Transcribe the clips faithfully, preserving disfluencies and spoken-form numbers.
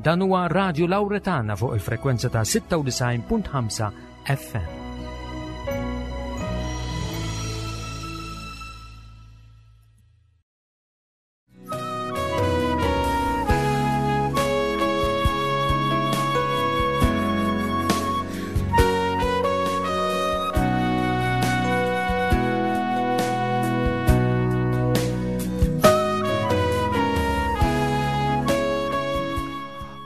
Dan huwa Radio Lauretana fuq il-frekwenza ta' sitta u disgħin punt ħamsa F M.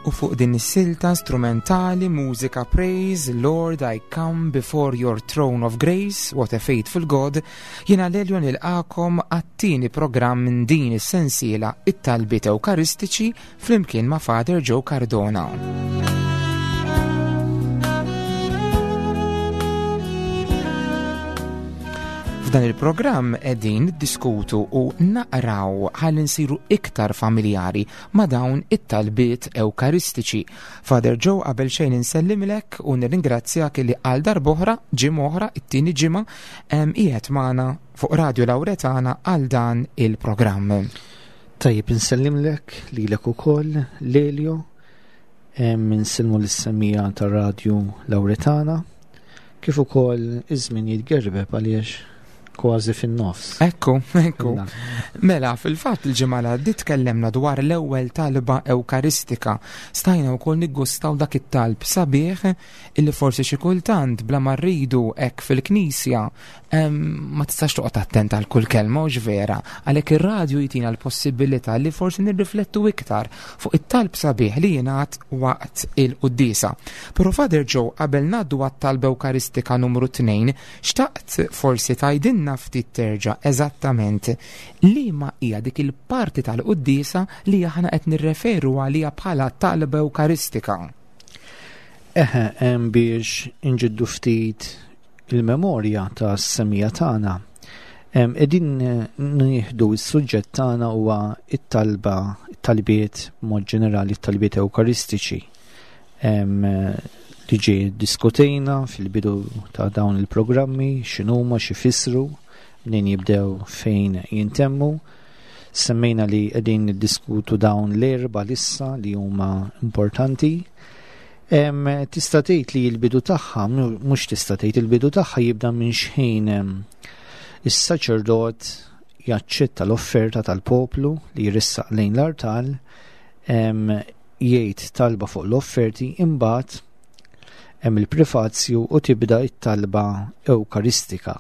U fuq din is-silta strumentali, mużika praise, "Lord, I come before your throne of grace, what a faithful God", jiena Lelio nilqagħkom għat-tieni programm minn din is-sensiela, it-talbiet Ewkaristiċi, flimkien ma' Father Joe Cardona. F'dan il-programm qegħdin niddiskutu u naqraw ħalli nsiru iktar familjari ma' dawn it-talbiet Ewkaristiċi. Father Joe, qabel xejn insellimlek u nirringrazzjak li għal darb'oħra, ġimgħa oħra, it-tieni ġimgħa, qiegħed magħna fuq Radio Lauretana għal dan il-programm. Tajjeb, insellimlek lilek ukoll, Lelio, insellmu lis-semmiegħa ta' Radio Lauretana, kif ukoll iż-żmien jitgerbeb għaliex kważi fin-nofs. Ekku, ekku. Mela, fil-fatt il-ġimgħa li għaddiet tkellemna dwar l-ewwel talba Ewkaristika. Stajna wkoll niggustaw dak it-talb sabiħ illi forsi xi kultant bla ma rridu hekk fil-knisja ma tistax toqgħod attent għal kull kelma, u vera. Għalhekk ir-radju jtina l-possibilità li forsi nirriflettu iktar fuq it-talb sabiħ li jingħad waqt il-quddiesa. Però, Father Joe, qabel ngħaddu għat-talba Ewkaristika numru tnejn, xtaqt forsi tgħidilna ftit terġa' eżattament li ma hija dik il-parti tal-quddiesa li aħna qed nirreferu għalija bħala talba Ewkaristika. Eħe, hemm biex inġeddu ftit il-memorja ta' semmiegħa tagħna. Qegħdin nieħdu s-suġġett tagħna huwa it-talba, it-talbiet mod ġenerali, it-talbiet Ewkaristiċi. Li ġie diskutejna fil-bidu ta' dawn il-programmi, x'inhuma, x'ifissru, mnejn jibdew, fejn jintemmu. Semmejna li qegħdin niddiskutu dawn l-erba lissa li huma importanti. Tista' tgħid li l-bidu tagħha, mhux tista' tgħid, il-bidu tagħha jibda minn xħin is-saċerdot jaċċetta l-offerta tal-poplu li jressaq lejn l-artal, jgħid talba fuq l-offerti, imbagħad hemm il-prefazju u tibda it-talba Ewkaristika.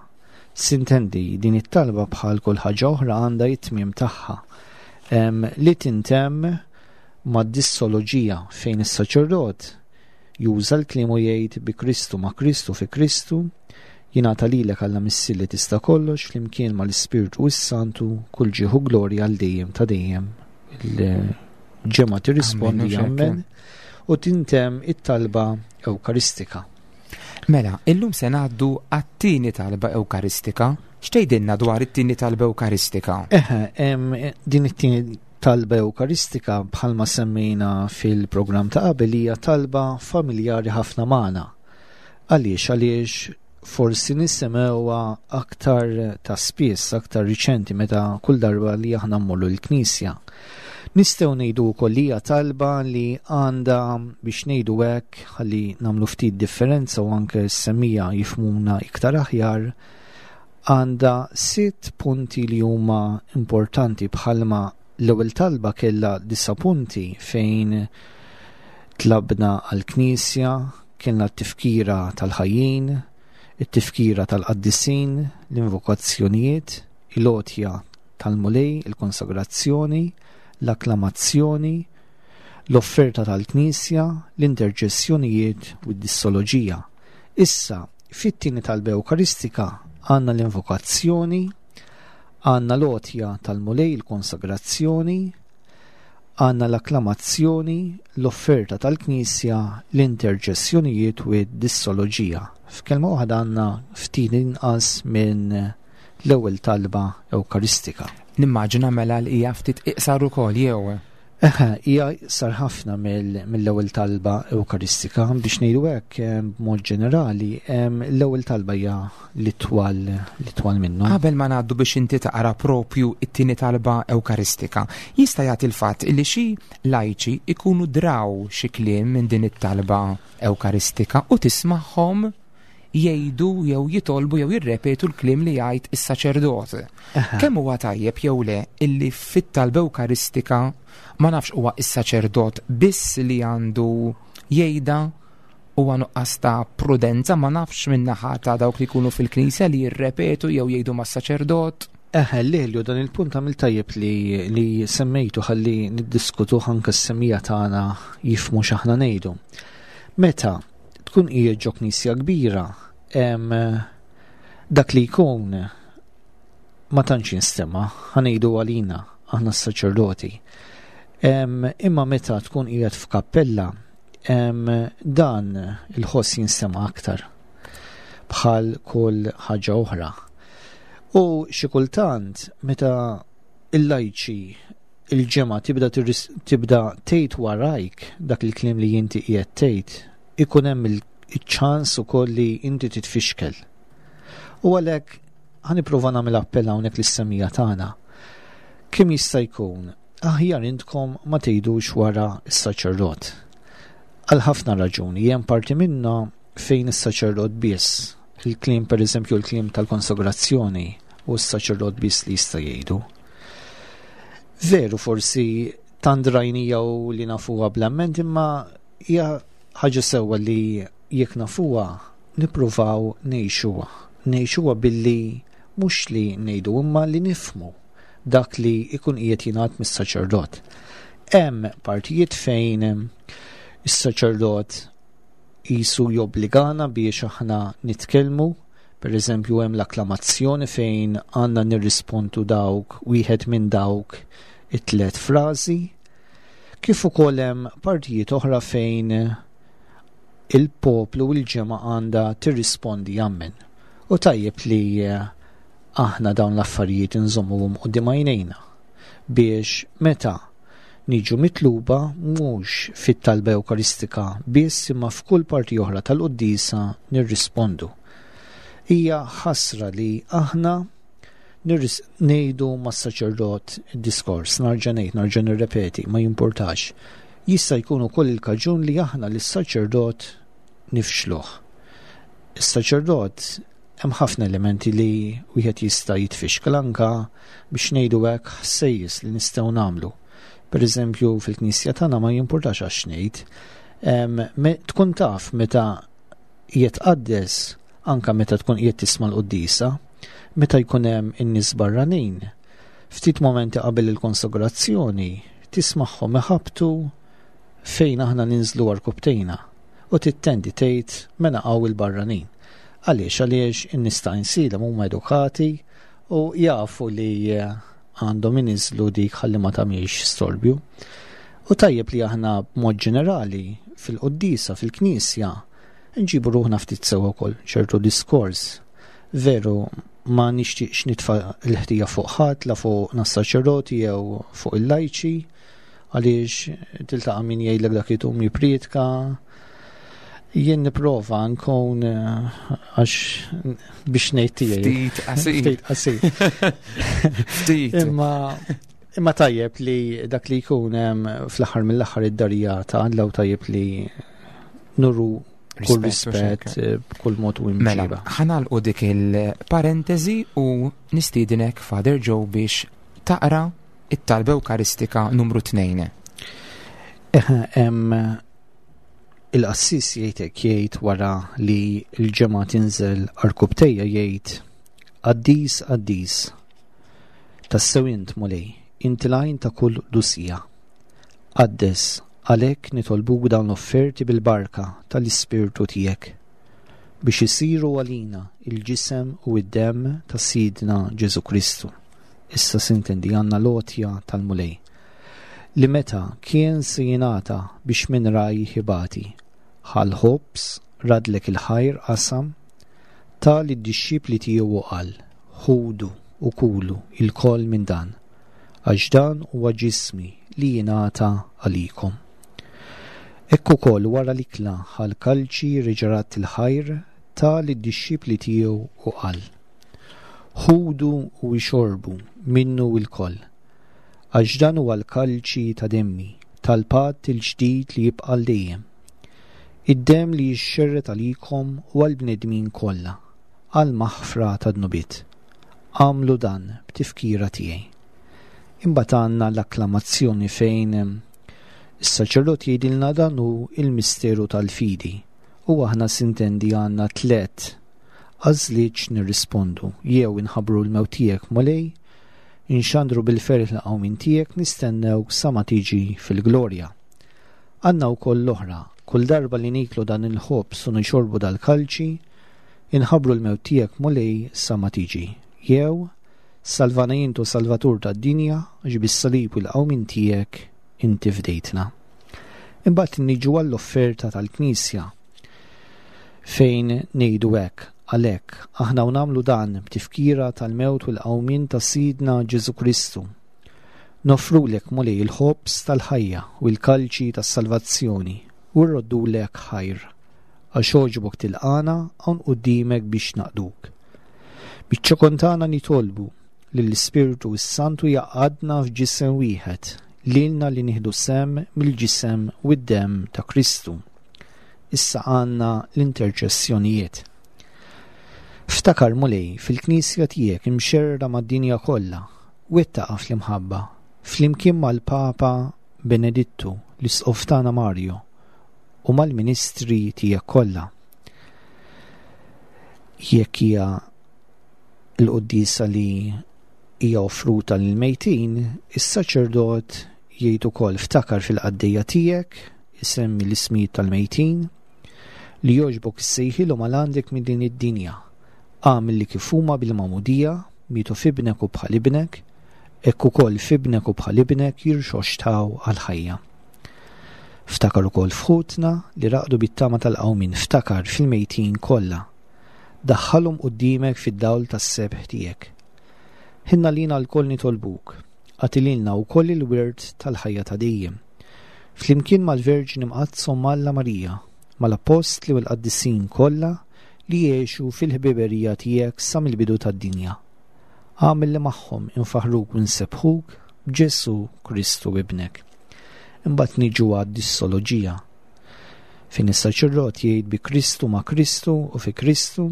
Sintendi, din it-talba bħal kull ħaġa oħra għandha it-tmiem tagħha li tintemm mad-dissoloġija, fejn is-saċerdot juża l-kliem u jgħid: "Bi Kristu, ma' Kristu, fi Kristu, jingħata lilek, Alla Missier li tista' kollox, flimkien mal-Ispirtu s-Santu, kull ġieħ u glorja għal dejjem ta' dejjem." Il-ġemgħa tirrispondi "Amen" u tintemm it-talba Ewkaristika. Mela, illum se ngħaddu għat-tieni talba Ewkaristika. X'tgħidilna dwar it-tieni talba Ewkaristika? Eħe, din it-tieni talba Ewkaristika, bħalma semmejna fil-programm ta' qabel, hija talba familjari ħafna magħna. Għaliex? Għaliex forsi nisimgħuha aktar ta' spiss, aktar riċenti, meta kull darba li aħna mmorru l-knisja. Nistgħu ngħidu wkoll li hija talba li għandha, biex ngħidu hekk, ħalli nagħmlu ftit differenza u anke s-semmiegħa jifhmuna iktar aħjar, għandha sitt punti li huma importanti, bħalma l-ewwel talba kellha disa' punti fejn tlabna għall-Knisja, kellna t-tifkira tal-ħajjin, it-tifkira tal-qaddisin, l-invokazzjonijiet, il-għotja tal-Mulej, il-konsagrazzjoni, l-akklamazzjoni, l-offerta tal-Knisja, l-interċessjonijiet u d-dissoloġija. Issa, fit-tieni talba Ewkaristika għandna l-invokazzjoni, għandna l-għotja tal-Mulej, il-konsagrazzjoni, għandna l-akklamazzjoni, l-offerta tal-Knisja, l-interċessjonijiet u d-dissoloġija. F'kelma waħda, għandna ftit inqas minn l-ewwel talba Ewkaristika. Nimmaġina mela li hija ftit iqsar ukoll, jew? Eħe, hija sar ħafna mill-ewwel talba Ewkaristika. Biex ngħidu hekk, b'mod ġenerali, l-ewwel talba hija l-itwal l-itwal minnhom. Qabel ma ngħaddu biex inti taqra propju it-tieni talba Ewkaristika, jista' jagħti l-fatt li xi lajċi ikunu draw xi kliem minn din it-talba Ewkaristika u tismagħhom jgħidu jew jitolbu jew jirrepetu l-kliem li jgħid is-saċerdot. Kemm huwa tajjeb jew le illi fit-talba Ewkaristika, ma nafx, huwa is-saċerdot biss li għandu jgħidha, huwa nuqqas ta' prudenza, ma nafx, min-naħa ta' dawk li jkunu fil-knisja li jirrepetu jew jgħidu mas-saċerdot? Eħe, Lelju, dan il-punt għamil tajjeb li, li semmejtu ħalli niddiskutu anke s-semmiegħa tagħna jifhmu x'aħna ngħidu. Meta tkun qiegħed ġo knisja kbira, em, dak li jkun ma tantx jinstema', ħa ngħidu għalina, aħna s-saċerdoti. Em, imma meta tkun qiegħed f'kappella, em, dan il-ħoss jinstema' aktar bħal kull ħaġa oħra. U xi kultant meta il-lajċi, il-ġemgħa tibda tirris- tibda tgħid warajk dak il-kliem li inti qiegħed tgħid, ikun hemm il-ċans ukoll li inti titfixkel. U għalhekk ħa nipprova nagħmel appell hawnhekk lis-semmiegħa tagħna. Kemm jista' jkun aħjar intkom ma tgħidux wara s-saċerdot. Għal ħafna raġuni, hemm parti minna fejn is-saċerdot biss, il-kliem, per eżempju l-kliem tal-konsagrazzjoni, u s-saċerdot biss li jista' jgħidu. Veru, forsi tant rajnija u li nafuha bl-amment, imma hija ħaġa sewwa li jekk nafuha nippruvaw ngħixuha. Ngħixuha billi mhux li ngħidu imma li nifhmu dak li ikun qiegħed jingħad mis-saċerdot. Hemm partijiet fejn is-saċerdot jisu jobbligana biex aħna nitkellmu, per eżempju hemm l-akklamazzjoni fejn għandna nirrispondu dawk wieħed minn dawk it-tlet frażi, kif ukoll hemm partijiet oħra fejn il-poplu u l-ġemgħa għandha tirrispondi ammen. U tajjeb li eh, aħna dawn l-affarijiet inżommuhom quddiem għajnejna biex meta niġu mitluba, mhux fit-talba Ewkaristika biss imma f'kull parti oħra tal-quddiesa, nirrispondu. Hija ħasra li aħna nirris ngħidu mas-saċerdot id-diskors, nerġa' ngħid, nerġa' nirrepeti, ma jimpurtax. Jista' jkun ukoll il-kaġun li aħna lis-saċerdot nifxluh. Is-saċerdot, hemm ħafna elementi li wieħed jista' jitfixkel, anka biex ngħidu hekk ħsejjes li nistgħu nagħmlu. Per eżempju fil-knisja tagħna, ma jimpurtax għax ngħid, em, me- tkun taf meta jitqaddes, anka meta tkun qiegħed tisma' l-quddiesa, meta jkun hemm in-nies barranin. Ftit momenti qabel il-konsagrazzjoni tismagħhom iħabtu fejn aħna ninżlu għarkupptejna u tittendi tgħid mela hawn il-barranin. Għaliex? Għaliex in-nies ta' Għajnsielem huma edukati u jafu li eh, għandhom iniżlu dik ħalli ma tagħmilx storbju. U tajjeb li aħna b'mod ġenerali fil-quddiesa, fil-knisja, nġibu ruħna ftit sewa wkoll ċertu diskors. Veru, ma nixtieqx nitfa' l-ħtija fuq ħadd, la fuq nas-saċerdoti jew fuq il-lajċi, għaliex tiltaqa' min jgħidlek dak itum jippriedka. Jien nipprova nkun eh, għax biex ngħid tiegħi. Ftit qasir. Ftit qasir. Ftit. Imma imma tajjeb li dak li jkun hemm fl-aħħar mill-aħħar id-darija ta' Alla u tajjeb li nuru kull Rispett u rispett xekk. eh, b'kull mod u Mela, imġiba. ħa nagħlqu dik il-parentesi u nistiedinek, Father Joe, biex taqra it-talba Ewkaristika numru tnejn. Eħe, hemm il-qassis jgħidek, jgħid wara li l-ġemgħa tinżel għarkupptejha, jgħid: "Qaddis, qaddis, tassew int Mulej, inti l-għajn ta' kull qdusija. Qaddes għalhekk, nitolbuk, dawn l-offerti bil-barka tal-Ispirtu tiegħek biex isiru għalina il-ġisem u id-dem ta' Sidna Ġesu Kristu." Issa sintendi għandna l-għotja tal-Mulej li meta kien se jingħata biex minn rajh ibati, ħa l-ħobż, raddlek il-ħajr, qasam, ta lid-dixxipli tiegħu u qal: "Ħudu u kulu ilkoll minn dan, għax dan huwa ġismi li jingħata għalikom. Hekk ukoll wara l-ikla ħa l-kalċi reġa' radd il-ħajr ta lid-dixxipli tiegħu u qal: Ħudu u ixorbu minnu lkoll, għax dan huwa l-kalċi ta' demmi, tal-patt il-ġdid li jibqa' għal dejjem. Id-demm li jixxerred għalikom u għall-bnedmin kollha, għall-maħfra ta' dnubiet. Għamlu dan b'tifkira tiegħi. Imbagħad għandna l-akklamazzjoni fejn is-saċerdot jgħidilna dan hu il-misteru tal-fidi u aħna sintendi għandna tliet għażliet nirrispondu: jew inħabbru l-mewt tiegħek, Mulej, inxandru bil-ferħ l-qawmien tiegħek, nistennew sa ma tiġi fil-glorja. Għandna wkoll l-oħra, kull darba li niklu dan il-ħobż u nixorbu dal-kalċi, inħabbru l-mewt tiegħek, Mulej, sa ma tiġi. Jew salvana int, O Salvatur tad-dinja, għax bis-salib u l-qawmien tiegħek inti fdejtna. Imbagħad niġu għall-offerta tal-Knisja fejn ngħidu hekk: għalhekk aħna u nagħmlu dan b'tifkira tal-mewt u l-qawmien ta' Sidna Ġesu Kristu. Noffrulek, Mulej, il-ħobż tal-ħajja u l-kalċi tas-salvazzjoni u rroddulek ħajr għax għoġbok tilqagħna hawn quddiemek biex naqduk. Biċ-ċokon tagħna nitolbu li l-Ispirtu s-Santu jgħaqqadna f'ġisem wieħed, lilna li nieħdu sehem mill-ġisem u d-dem ta' Kristu. Issa għandna l-interċessjonijiet. Ftakar, Mulej, fil-Knisja tiegħek imxerrda mad-dinja kollha, wettaqha fl-imħabba, flimkien mal-Papa Benedittu, l-Isqof tagħna Mario, u mal-ministri tiegħek kollha. Jekk hija l-quddiesa li hija offruta lil mejtin, is-saċerdot jgħid ukoll: ftakar fil-qaddejja tiegħek, isemmi l-ismijiet tal-mejtin, li jogħġbok issejħilhom għal għandek minn din id-dinja. Agħmel li kif huma bil-magħmudija mietu f'ibnek u bħal ibnek, hekk ukoll f'ibnek u bħal ibnek jirxoxtaw għal-ħajja. Ftakar ukoll f'ħutna li raqdu bit-tama tal-qawmin, ftakar fil-mejtin kollha. Daħħalhom quddiemek fid-dawl tas-sebħ tiegħek. Ħenn għalina lkoll nitolbuk, agħti lilna wkoll il-wirt tal-ħajja ta' dejjem. Flimkien mal-Verġni Mqaddsa Omm Alla Marija, mal-Appostli u l-Qaddisin kollha li jgħixu fil-ħbiberija tiegħek sa mill-bidu tad-dinja. Agħmel li magħhom infaħruk u nsebbħuk b'Ġesu Kristu ibnek. Imbagħad niġu għad-dissoloġija. Fejn is-saċerdot jgħid: bi Kristu, ma' Kristu u fi Kristu,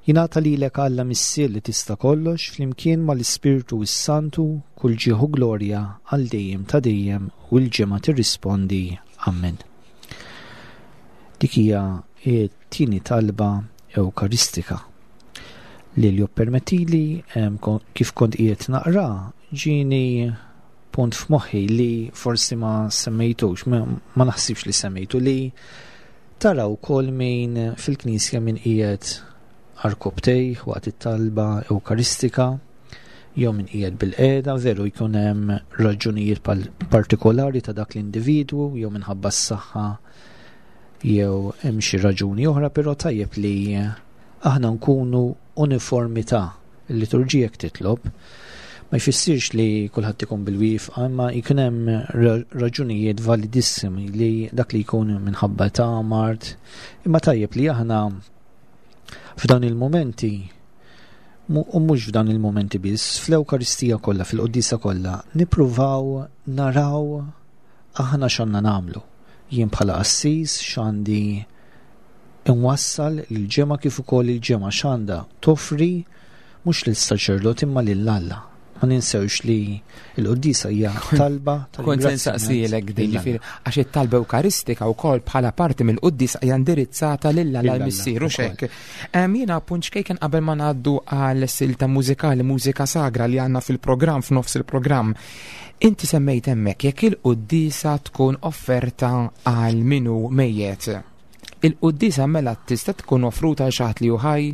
jingħata lilek, Alla Missier li tista' kollox, flimkien mal-Ispirtu s-Santu, kull ġieħ u glorja għal dejjem ta' dejjem, u l-ġemgħa tirrispondi Amen. Dik hija t-tieni talba Ewkaristika. Li li permettili, kif kont qiegħed naqra, ġieni punt f'moħħi li forsi ma semmejtux, ma, ma naħsibx li semmejtu, li tara wkoll min fil-knisja min qiegħed għarkopptejh waqt it-talba Ewkaristika jew min qiegħed bil-qiegħda. Veru jkun hemm raġunijiet partikolari ta' dak l-individwu, jew minħabba s-saħħa jew hemm xi raġuni oħra, però tajjeb li aħna nkunu uniformità. Il-liturġija jekk titlob, ma jfissirx li kulħadd ikun bil-wieqfa, imma jkun hemm raġunijiet validissimi li dak li jkun minħabba ta' mard, imma tajjeb li aħna f'dan il-momenti, u mhux f'dan il-momenti biss, fl-Ewkaristija kollha, fil-Quddiesa kollha, nippruvaw naraw aħna x'għandna nagħmlu. Jien bħala qassis x'għandi inwassal lill-ġemgħa kif ukoll il-ġemgħa x'għandha toffri mhux lis-saċerdot imma lil Alla. Ma ninsewx li l-quddiesa hija talba. Kont se nsaqsilek din, ġifieri, għax it-talba Ewkaristika wkoll bħala parti mill-quddiesa hija indirizzata lil Alla l-Missier u hekk. Jiena punt ċkejken qabel ma ngħaddu għal silta mużikali, mużika sagra li għandna fil-programm, f'nofs il-programm. Inti semmejt hemmhekk jekk il-quddiesa tkun offerta għal min hu mejjet. Il-quddiesa mela tista' tkun offruta għal xi ħadd li hu ħaj?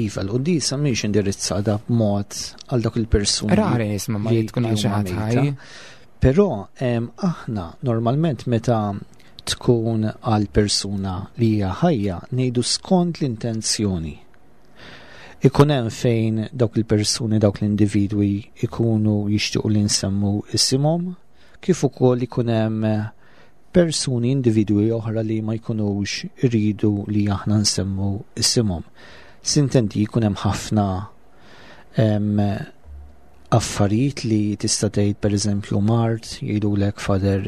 Iva, l-quddiesa mhix indirizzata b'mod għal dak il-persuni. Rari nisma' ma li tkun għal xi ħadd ħaj. Però aħna normalment meta tkun għal persuna li hija ħajja ngħidu skont l-intenzjoni. Ikun hemm fejn dawk il-persuni, dawk l-individwi ikunu jixtiequ li nsemmu isimhom, kif ukoll ikun hemm persuni, individwi oħra li ma jkunux iridu li aħna nsemmu isimhom. Sintendi jkun hemm ħafna affarijiet li tista' tgħid, pereżempju mard, jgħidulek Father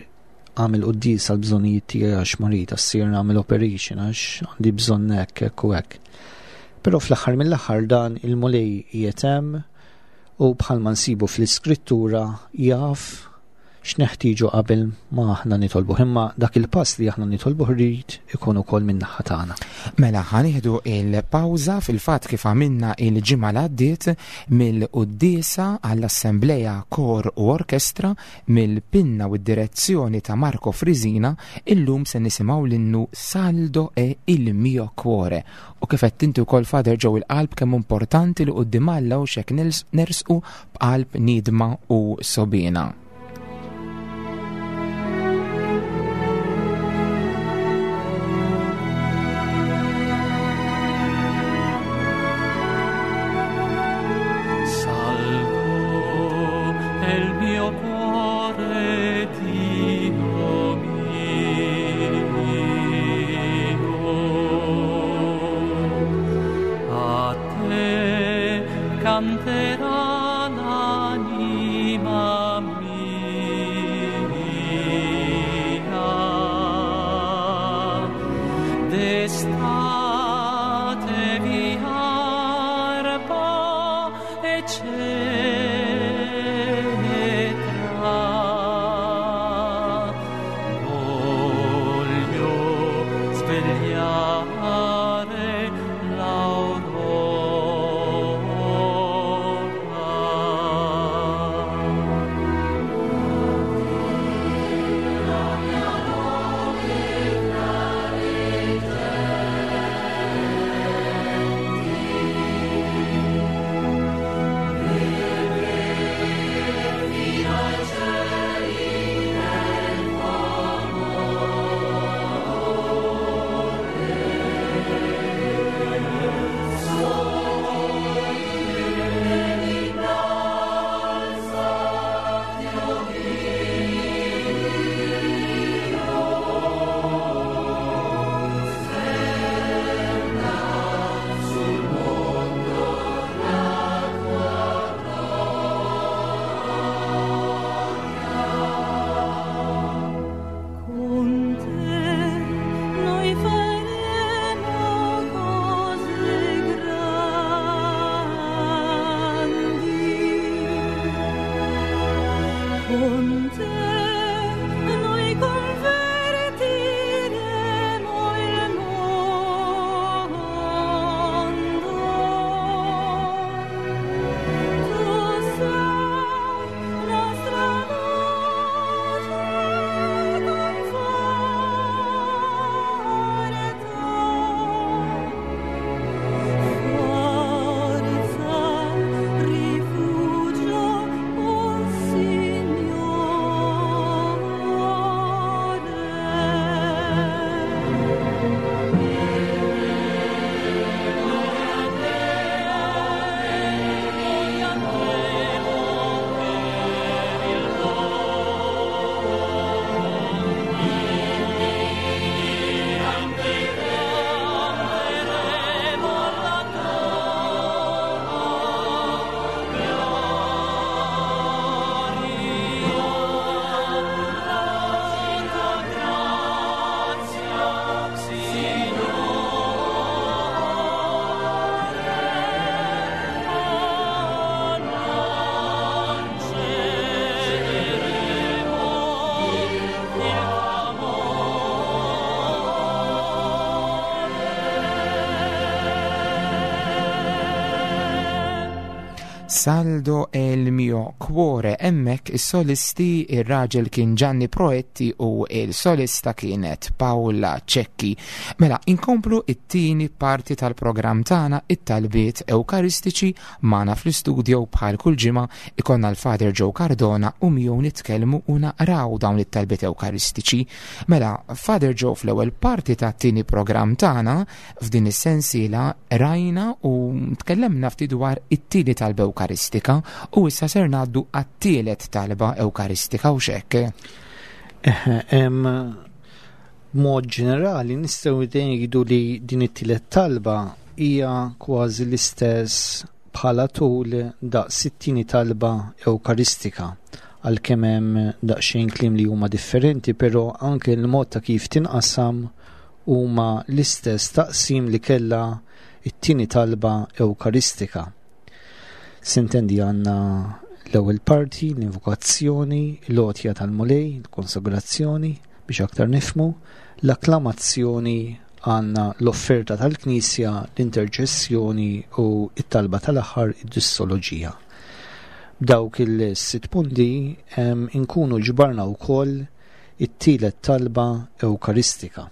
għamel quddies għal bżonnijiet tiegħi għax marid, għassir nagħmel operation għax għandi bżonn hekk hekk u hekk. Però fl-aħħar mill-aħħar dan il-Mulej qiegħed hemm u bħalma nsibu fl-Iskrittura jaf x'neħtieġu qabel ma aħna nitolbuh, imma dak il-pass li aħna nitolbuh rrid ikun ukoll min-naħa tagħna. Mela ħa nieħdu il-pawża fil-fatt kif għamilna il-ġimgħa li għaddiet mill-quddiesa għall-Assembleja Kor u Orkestra mill-pinna u d-direzzjoni ta' Marco Frisina, illum se nisimgħu l-innu Saldo è il mio cuore. U kif qed inti wkoll Father Joe il-qalb kemm importanti li quddiem Alla u x'hekk nersqu b'qalb nidma u sobina. Canterà l'anima mia, d'estate vi arpa e cetra, voglio svegliare l'aurora. Saldo è il mio cuore. Hemmhekk is-solisti, ir-raġel kien Gianni Proetti u il-solista kienet Paola Cecchi. Mela, inkomplu it-tieni parti tal-programm tagħna, it-talbiet Ewkaristiċi. Magħna fl-istudio bħal kull ġimgħa ikonna l-Father Joe Cardona u miegħu nitkellmu u naqraw dawn it-talbiet Ewkaristiċi. Mela, Father Joe, fl-ewwel parti tat-tieni programm tagħna f'din is-sensiela rajna u tkellemna ftit dwar it-tieni talba Ewkaristika. Ewkaristika u issa ser ngħaddu għat-tielet talba Ewkaristika u x'hekk. B'mod ġenerali nistgħu ngħidu li din it-tielet talba hija kważi l-istess bħala tul daqs it-tieni talba Ewkaristika, għalkemm hemm daqsxejn kliem li huma differenti, però anke l-mod ta' kif tinqasam huma l-istess taqsim li kellha it-tieni talba Ewkaristika. Sintendi għandna l-ewwel parti, l-invokazzjoni, l-għotja tal-Mulej, l-konsagrazzjoni, biex aktar nifhmu, l-akklamazzjoni, għandna l-offerta tal-Knisja, l-interċessjoni u it-talba tal-aħħar, id-dissoloġija. B'dawk il-sitt punti inkunu ġbarna wkoll it-tielet talba Ewkaristika.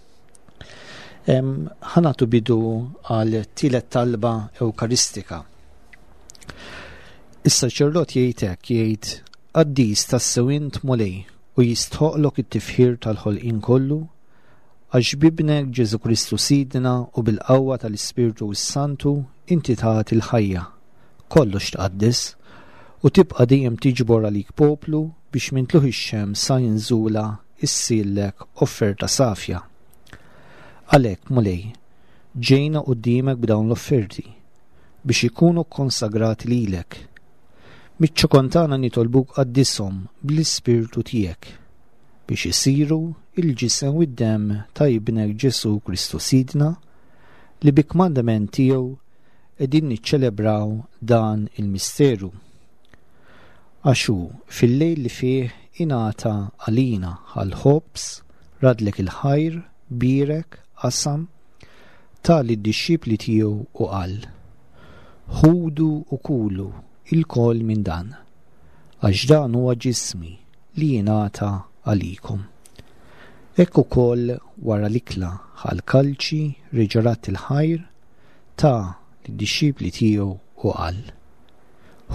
Ħa nagħtu bidu għal tielet talba Ewkaristika. Is-saċerdot jgħid hekk, jgħid: Qaddis tassew int Mulej u jistħoqlok it-tifħir tal-ħolqien kollu, għax b'Ibnek Ġesu Kristu Sidna u bil-qawwa tal-Ispirtu s-Santu inti tagħti il-ħajja, kollox tqaddis, u tibqa' dejjem tiġbor għalik poplu biex minn tlugħ ix-xemx sa nżulha issirlek offerta safja. Għalhekk, Mulej, ġejna quddiemek b'dawn l-offerti biex ikunu konsagrati lilek. Miċ-ċokon tagħna nitolbuk qaddishom bl-Ispirtu tiegħek biex isiru il-ġisem u d-demm ta' Ibnek Ġesu Kristu Sidna, li bi kmandament tiegħu qegħdin niċċelebraw dan il-misteru. Għax hu fil-lejl li fih ingħata għalina għall-ħobż, raddlek il-ħajr, bierek, qasam, ta lid-dixxipli tiegħu u qal: Ħudu u kulu ilkoll minn dan, għax dan huwa ġismi li jingħata għalikom. Hekk ukoll wara l-ikla ħa l-kalċi, reġa' radd il-ħajr, ta lid-dixxipli tiegħu u qal: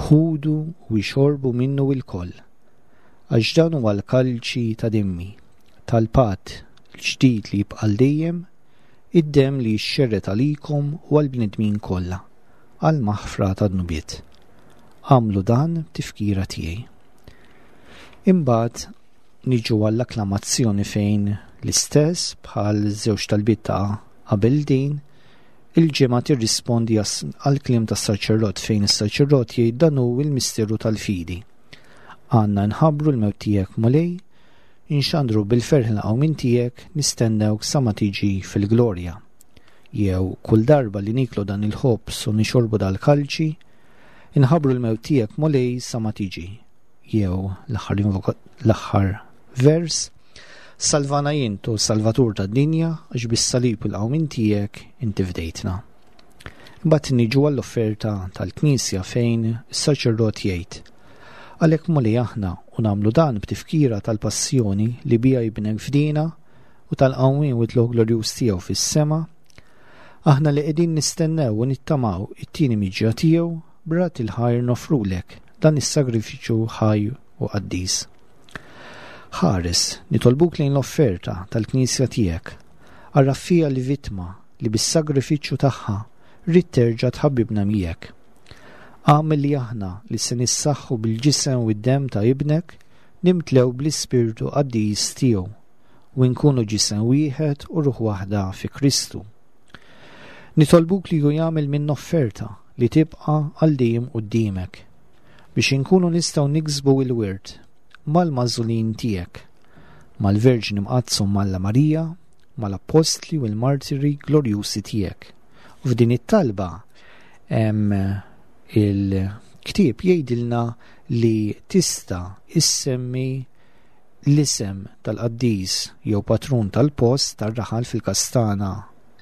Ħudu u ixorbu minnu ilkoll, għax dan huwa l-kalċi ta' demmi, tal-patt il-ġdid li jibqa' dejjem, id-demm li jixxerred għalikom u għall-bnedmin kollha, għal maħfra ta' dnubiet. Agħmlu dan b'tifkira tiegħi. Imbagħad niġu għall-akklamazzjoni fejn l-istess bħal żewġ talbiet ta' qabel din, il-ġemgħa tirrispondi għal kliem tas-saċerdot fejn is-saċerdot jgħid: dan hu l-misteru tal-fidi. Għandna nħabbru l-mewt tiegħek, Mulej, inxandru bil-ferħ il-qawmien tiegħek, nistennewk sa ma tiġi fil-glorja. Jew kull darba li niklu dan il-ħobż u nixorbu dal-kalċi, inħabbru l-mewt tiegħek, Mulej, sa ma tiġi. Jew l-aħħar vers, Salvana int, o Salvatur tad-dinja, għax bis-salib u l-qawmien tiegħek inti fdejtna. Imbagħad niġu għall-offerta tal-Knisja fejn is-saċerdot jgħid: Għalhekk, Mulej, aħna u nagħmlu dan b'tifkira tal-passjoni li bija Ibnek fdina u tal-qawmien u tlugħ glorjuż tiegħu fis-sema, aħna li qegħdin nistennew u nittamaw it-tieni miġja tiegħu, b'radd il-ħajr nofrulek dan is-sagrifiċċju ħaj u qaddis. Ħares, nitolbuk, lejn l-offerta tal-Knisja tiegħek, agħraf fiha l-vittma li bis-sagrifiċċju tagħha ridt terġa' tħabbibna miegħek. Agħmel li aħna li se nissaħħu bil-ġisem u d-dem ta' Ibnek nimtlew bl-Ispirtu qaddis tiegħu u nkunu ġisem wieħed u ruħ waħda fi Kristu. Nitolbuk li hu jagħmel minn offerta li tibqa' għal dejjem quddiemek biex inkunu nistgħu niksbu il-wirt mal-magħżulin tiegħek, mal-Verġni Mqaddsa Alla Marija, mal-Appostli u l-Martiri glorjusi tiegħek. U f'din it-talba il-ktieb jgħidilna li tista' issemmi l-isem tal-qaddis jew patrun tal-post tar-raħal, fil-Kastana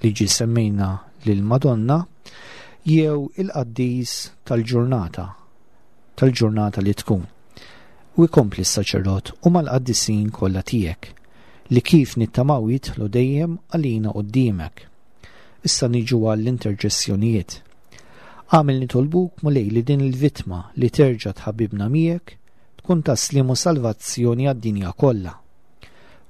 li ġi semmejna lil Madonna, jew il-qaddis tal-ġurnata tal-ġurnata li tkun. U jkompli s-saċerdot: u mal-qaddisin kollha tiegħek li kif nittamaw jidħlu dejjem għalina quddiemek. Issa niġu għall-interċessjonijiet. Agħmel, nitolbuk, Mulej, li din il-vittma li terġa' tħabbibna miegħek tkun ta' sliem u salvazzjoni għad-dinja kollha.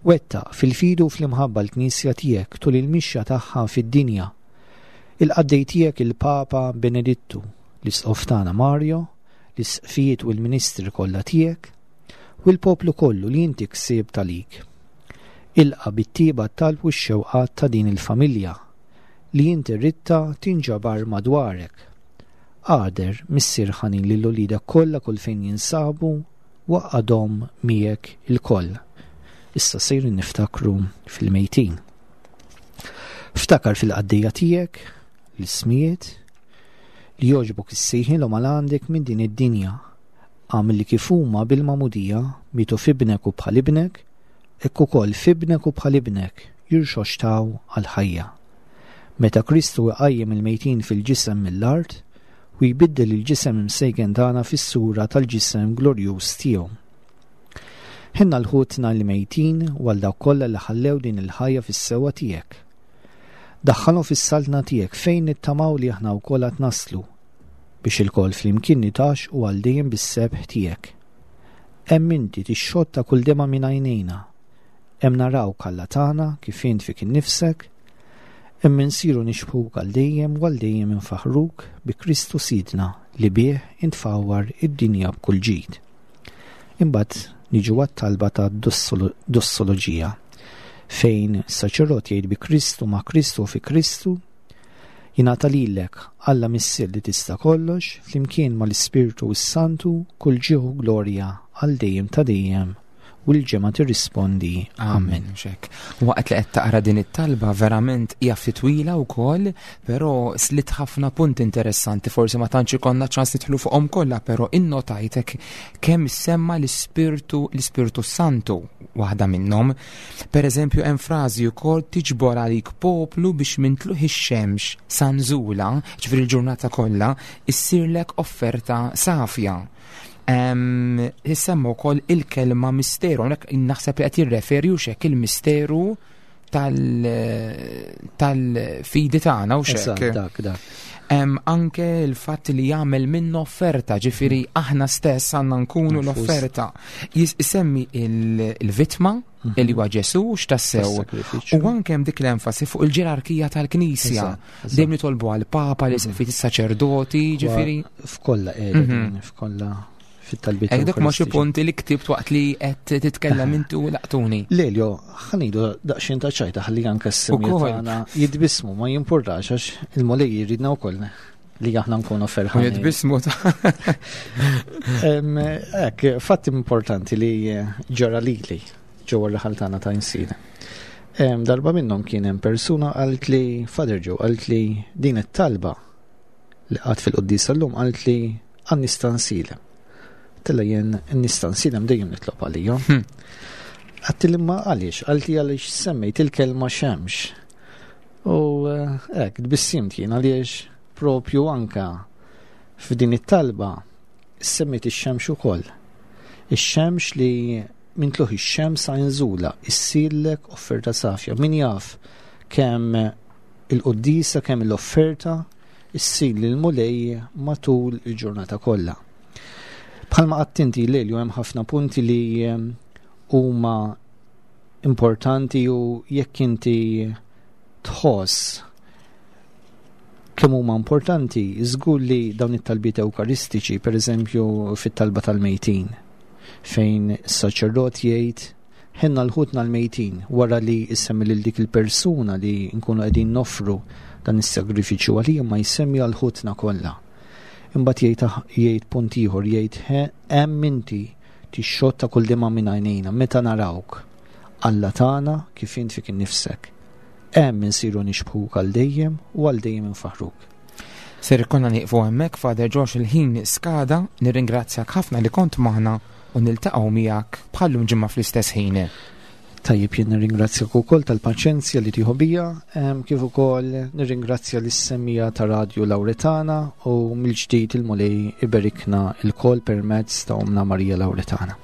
Wettaq fil-fidi u fl-imħabba l-Knisja tiegħek tul il-mixja tagħha fid-dinja. Il-qaddej tiegħek il-Papa Benedittu, l-Isqof tagħna Mario, l-isqfijiet u l-ministri kollha tiegħek, u l-poplu kollu li inti ksibt għalik. Ilqa' bit-tjieba t-talb u x-xewqat ta' din il-familja li inti ridtha tinġabar madwarek. Għader, Missier ħanin, lil uliedek kollha kull fejn jinsabu, għaqqadhom miegħek ilkoll. Issa sejrin niftakru fil-mejtin. Ftakar fil-qaddejja tiegħek, l-ismijiet, li jogħġbok issejħilhom għal għandek minn din id-dinja. Għamil li kif huma bil-magħmudija mietu f'ibnek u bħal ibnek, hekk ukoll f'ibnek u bħal ibnek jirxoxtaw għal-ħajja. Meta Kristu iqajjem il-mejtin fil-ġisem mill-art u jbiddel il-ġisem imsejken tagħna fis-sura tal-ġisem glorjuż tiegħu. Ħenn għal ħutna l-mejtin u għal dawk kollha li ħallew din il-ħajja fis-sewwa tiegħek. Daħħalhom fis-saltna tiegħek fejn nittamaw li aħna wkoll għad naslu, biex ilkoll flimkien nitgħaxxqu għal dejjem bis-sebħ tiegħek. Hemm inti tixxotta kull dema minn għajnejna. Hemm narawk Alla tagħna kif int fik innifsek, hemm insiru nixbhuk għal dejjem u għal dejjem infaħruk bi Kristu Sidna li bih intfawwar id-dinja b'kull ġid. Imbagħad niġu għat-talba ta' dossoloġija, fejn saċerdot jgħid bi Kristu, ma' Kristu u fi Kristu, jingħata lilek Alla Missier li tista' kollox, flimkien mal-Ispirtu s-Santu, kull ġieħ u glorja għal dejjem ta' dejjem, u l-ġemgħa tirrispondi Amen. Xek. Waqt li qed taqra din it-talba verament hija ftit twila wkoll, però slit ħafna punti interessanti, forsi ma tantx ikollna ċans nidħlu fuqhom kollha, però innotajtek kemm semma l-Ispirtu, l-Ispirtu Santu waħda minnhom. Per eżempju hemm frażi wkoll tiġbor għalik poplu biex minn tluħ ix-xemx sa nżula, ġifieri l-ġurnata kollha, issirlek offerta safja. Em, Issemma wkoll il-kelma misteru, hawnhekk naħseb li qed jirreferi u xek il-misteru tal-, tal-fidi tagħna u xek. Eżatt, dak, dak. Em, anke il-fatt li jagħmel minnu offerta, ġifieri aħna stess għandna nkunu Nfus. l-offerta. Jis-, isemmi il-, il-vittma, Mhm. li huwa Ġesu, x'tassew. Tas-sakrifiċċju. U anke hemm dik l-enfasi fuq il-ġerarkija tal-Knisja. Eżatt, eżatt. Dejjem nitolbu għall-Papa, l-isqfijiet, is-saċerdoti, ġifieri. F'kollha qiegħda Mhm. din, f'kollha fit-talbiet Ek dak ma xi Ewkaristiċi. punti li ktibt waqt li qed titkellem intu laqtuni. Lelio, ħanidu daqsxejn ta' ċajta ħalli anke s-semmijiet Ukoll. tagħna jitbismu, ma jimpurtax għax il-Mulej jridna wkoll li aħna nkunu ferħanin. U jitbismu ta' Em, Ek, fatt importanti li ġara lili ġewwa r-raħal tagħna ta' Għajnsielem. Em, Darba minnhom kien hemm persuna qalt li Father Joe qalt li din it-talba li qatt fil-quddiesa llum qalt li għan-nies t'Għajnsielem. Tella jien n-nies t'Għajnsielem dejjem nitlob għalihom. Hmm. Għattil imma għaliex, qalti għaliex semmejt il-kelma xemx. U, eh, hekk, tbissimt jien għaliex propju anka f'din it-talba semmejt ix-xemx ukoll. Ix-xemx li minn tluħ ix-xemx sa nżula issirlek offerta safja. Min jaf kemm il-quddiesa, kemm l-offerta issir lil Mulej matul il-ġurnata kollha. Bħalma qatt inti Lelju hemm ħafna punti li, ehm, huma importanti u jekk inti tħoss kemm huma importanti, żgur li dawn it-talbiet ewkaristiċi, per eżempju fit-talba tal-mejtin, fejn is-saċerdot jgħid ħenna l-ħutna l-mejtin wara li jsemmi lil dik il-persuna li nkunu qegħdin noffru dan is-sagrifiċċju għalija, ma jsemmi għal ħutna kollha. Imbagħad jgħid, jgħid punt ieħor, jgħid hemm inti tixxotta kull dema minn għajnejna meta narawk. Alla tagħna kif int fik innifsek. Hemm insiru nixbħuk għal dejjem u għal dejjem infaħruk. Ser ikollna nieqfu hemmhekk, Father Josh, il-ħin skada, nirringrazzjak ħafna li kont magħna u niltaqgħu miegħek bħallum ġimgħa fl-istess ħin. Tajjeb, jien nirringrazzjak ukoll tal-paċenzja li tieħu bija, em, kif ukoll nirringrazzja lis-semmiegħa ta' Radio Lauretana u mill-ġdid il-Mulej iberikna il-kol permezz ta' Omna Marija Lauretana.